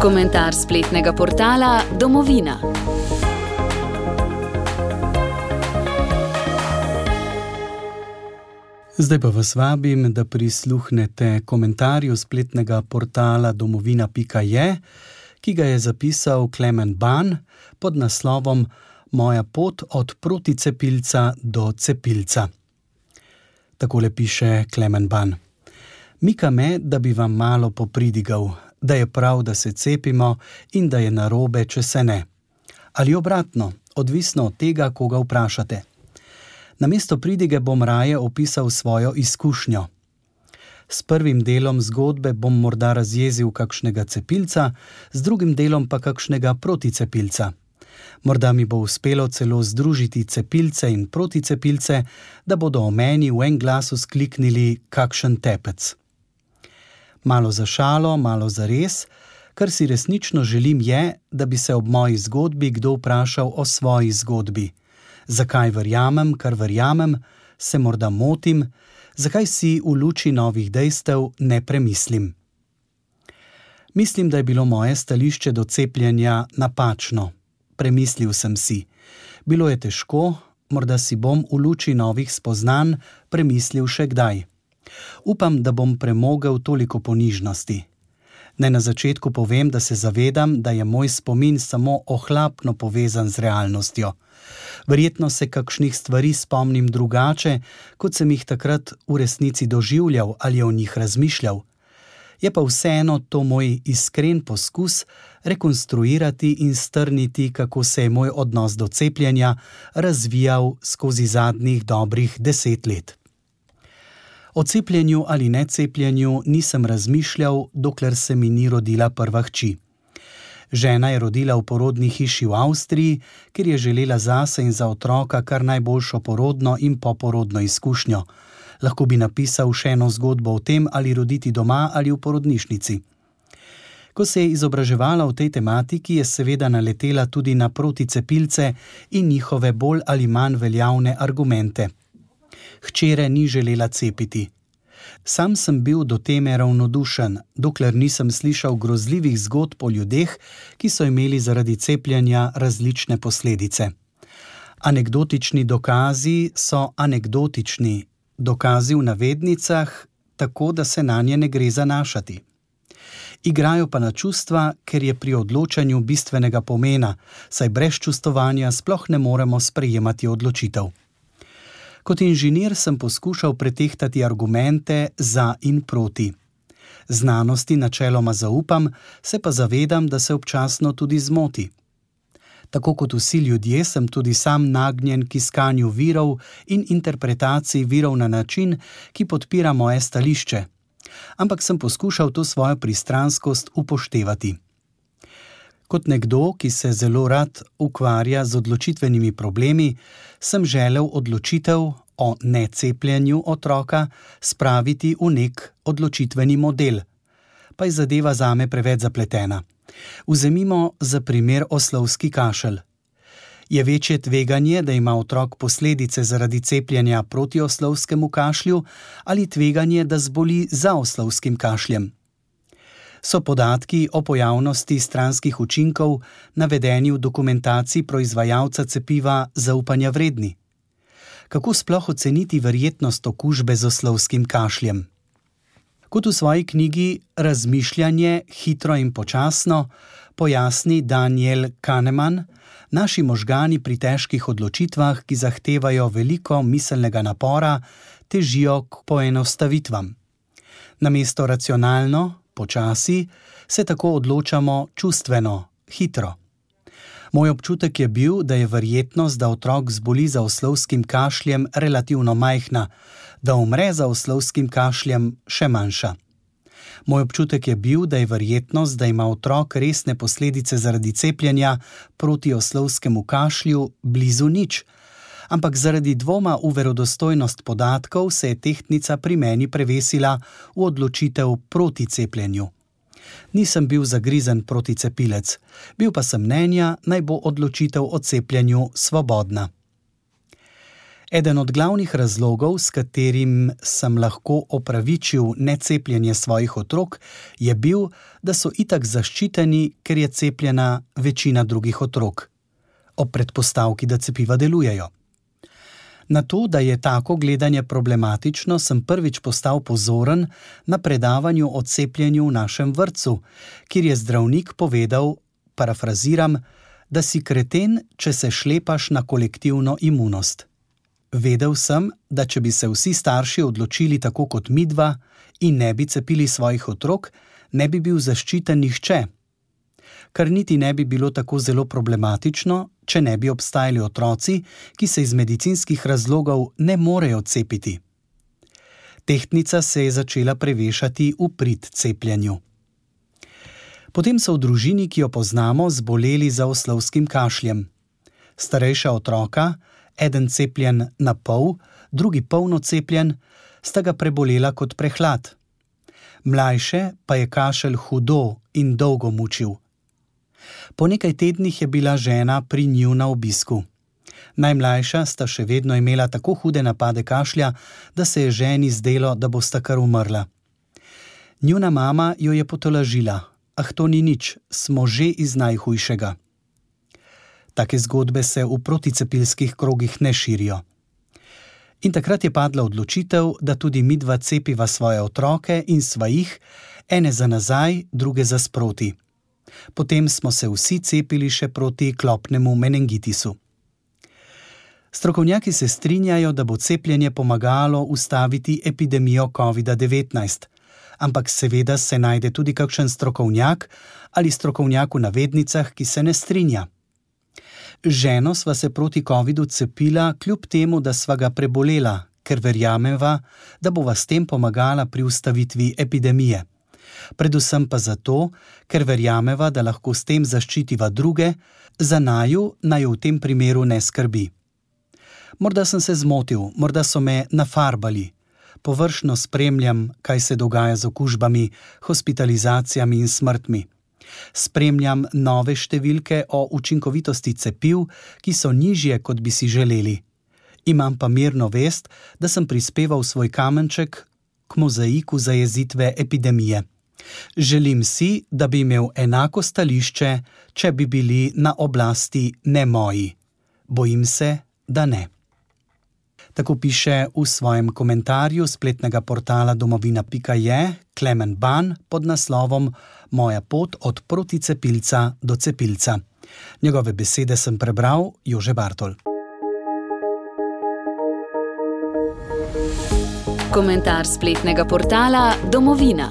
Komentar spletnega portala Domovina. Zdaj pa vas vabim, da prisluhnete komentarju spletnega portala domovina.je, ki ga je zapisal Klemen Ban pod naslovom Moja pot od proticepilca do cepilca. Takole piše Klemen Ban. Mika me, da bi vam malo popridigal, da je prav, da se cepimo in da je narobe, če se ne. Ali obratno, odvisno od tega, koga vprašate. Namesto pridige bom raje opisal svojo izkušnjo. S prvim delom zgodbe bom morda razjezil kakšnega cepilca, z drugim delom pa kakšnega proticepilca. Morda mi bo uspelo celo združiti cepilce in proticepilce, da bodo o meni v en glas vzkliknili kakšen tepec. Malo za šalo, malo za res, kar si resnično želim je, da bi se ob moji zgodbi kdo vprašal o svoji zgodbi. Zakaj verjamem, kar verjamem, se morda motim, zakaj si v luči novih dejstev ne premislim. Mislim, da je bilo moje stališče do cepljenja napačno. Premislil sem si. Bilo je težko, morda si bom v luči novih spoznanj premislil še kdaj. Upam, da bom premogel toliko ponižnosti. Naj na začetku povem, da se zavedam, da je moj spomin samo ohlapno povezan z realnostjo. Verjetno se kakšnih stvari spomnim drugače, kot sem jih takrat v resnici doživljal ali o njih razmišljal. Je pa vseeno to moj iskren poskus rekonstruirati in strniti, kako se je moj odnos do cepljenja razvijal skozi zadnjih dobrih 10 let. O cepljenju ali necepljenju nisem razmišljal, dokler se mi ni rodila prva hči. Žena je rodila v porodni hiši v Avstriji, ker je želela zase in za otroka kar najboljšo porodno in poporodno izkušnjo. Lahko bi napisal še eno zgodbo o tem, ali roditi doma ali v porodnišnici. Ko se je izobraževala v tej tematiki, je seveda naletela tudi na proticepilce in njihove bolj ali manj veljavne argumente. Hčere ni želela cepiti. Sam sem bil do teme ravnodušen, dokler nisem slišal grozljivih zgodb o ljudeh, ki so imeli zaradi cepljenja različne posledice. Anekdotični dokazi so anekdotični, dokazi v navednicah, tako da se nanje ne gre zanašati. Igrajo pa na čustva, ker je pri odločanju bistvenega pomena, saj brez čustovanja sploh ne moremo sprejemati odločitev. Kot inženir sem poskušal pretehtati argumente za in proti. Znanosti načeloma zaupam, se pa zavedam, da se občasno tudi zmoti. Tako kot vsi ljudje sem tudi sam nagnjen k iskanju virov in interpretaciji virov na način, ki podpira moje stališče. Ampak sem poskušal to svojo pristranskost upoštevati. Kot nekdo, ki se zelo rad ukvarja z odločitvenimi problemi, sem želel odločitev o necepljenju otroka spraviti v nek odločitveni model. Pa je zadeva zame preveč zapletena. Vzemimo za primer oslovski kašelj. Je večje tveganje, da ima otrok posledice zaradi cepljenja proti oslovskemu kašlju ali tveganje, da zboli za oslovskim kašljem? So podatki o pojavnosti stranskih učinkov navedeni v dokumentaciji proizvajalca cepiva zaupanja vredni? Kako sploh oceniti verjetnost okužbe z oslovskim kašljem? Kot v svoji knjigi Razmišljanje hitro in počasno pojasni Daniel Kahneman, naši možgani pri težkih odločitvah, ki zahtevajo veliko miselnega napora, težijo k poenostavitvam. Namesto racionalno, počasi, se tako odločamo čustveno, hitro. Moj občutek je bil, da je verjetnost, da otrok zboli za oslovskim kašljem relativno majhna, da umre za oslovskim kašljem še manjša. Moj občutek je bil, da je verjetnost, da ima otrok resne posledice zaradi cepljenja proti oslovskemu kašlju blizu nič, ampak zaradi dvoma v verodostojnost podatkov se je tehtnica pri meni prevesila v odločitev proti cepljenju. Nisem bil zagrizen proticepilec, bil pa sem mnenja, naj bo odločitev o cepljenju svobodna. Eden od glavnih razlogov, s katerim sem lahko opravičil necepljenje svojih otrok, je bil, da so itak zaščiteni, ker je cepljena večina drugih otrok, ob predpostavki, da cepiva delujejo. Na to, da je tako gledanje problematično, sem prvič postal pozoren na predavanju o cepljenju v našem vrtcu, kjer je zdravnik povedal, parafraziram, da si kreten, če se šlepaš na kolektivno imunost. Vedel sem, da če bi se vsi starši odločili tako kot midva in ne bi cepili svojih otrok, ne bi bil zaščiten nihče. Kar niti ne bi bilo tako zelo problematično, če ne bi obstajali otroci, ki se iz medicinskih razlogov ne morejo cepiti. Tehtnica se je začela prevešati v prid cepljenju. Potem so v družini, ki jo poznamo, zboleli za oslovskim kašljem. Starejša otroka, eden cepljen na pol, drugi polno cepljen, sta ga prebolela kot prehlad. Mlajše pa je kašelj hudo in dolgo mučil. Po nekaj tednih je bila žena pri njiju na obisku. Najmlajša sta še vedno imela tako hude napade kašlja, da se je ženi zdelo, da bosta kar umrla. Njuna mama jo je potolažila. To ni nič, smo že iz najhujšega. Take zgodbe se v proticepilskih krogih ne širijo. In takrat je padla odločitev, da tudi midva cepiva svoje otroke in sva jih, ene za nazaj, druge za sproti. Potem smo se vsi cepili še proti klopnemu meningitisu. Strokovnjaki se strinjajo, da bo cepljenje pomagalo ustaviti epidemijo COVID-19, ampak seveda se najde tudi kakšen strokovnjak ali strokovnjak v navednicah, ki se ne strinja. Ženo sva se proti covidu cepila, kljub temu, da sva ga prebolela, ker verjameva, da bova s tem pomagala pri ustavitvi epidemije. Predvsem pa zato, ker verjameva, da lahko s tem zaščitiva druge, za naju naj v tem primeru ne skrbi. Morda sem se zmotil, morda so me nafarbali. Površno spremljam, kaj se dogaja z okužbami, hospitalizacijami in smrtmi. Spremljam nove številke o učinkovitosti cepiv, ki so nižje, kot bi si želeli. Imam pa mirno vest, da sem prispeval svoj kamenček k mozaiku zajezitve epidemije. Želim si, da bi imel enako stališče, če bi bili na oblasti ne moji. Bojim se, da ne. Tako piše v svojem komentarju spletnega portala domovina.je Klemen Ban pod naslovom Moja pot od proticepilca do cepilca. Njegove besede sem prebral Jože Bartol. Komentar spletnega portala Domovina.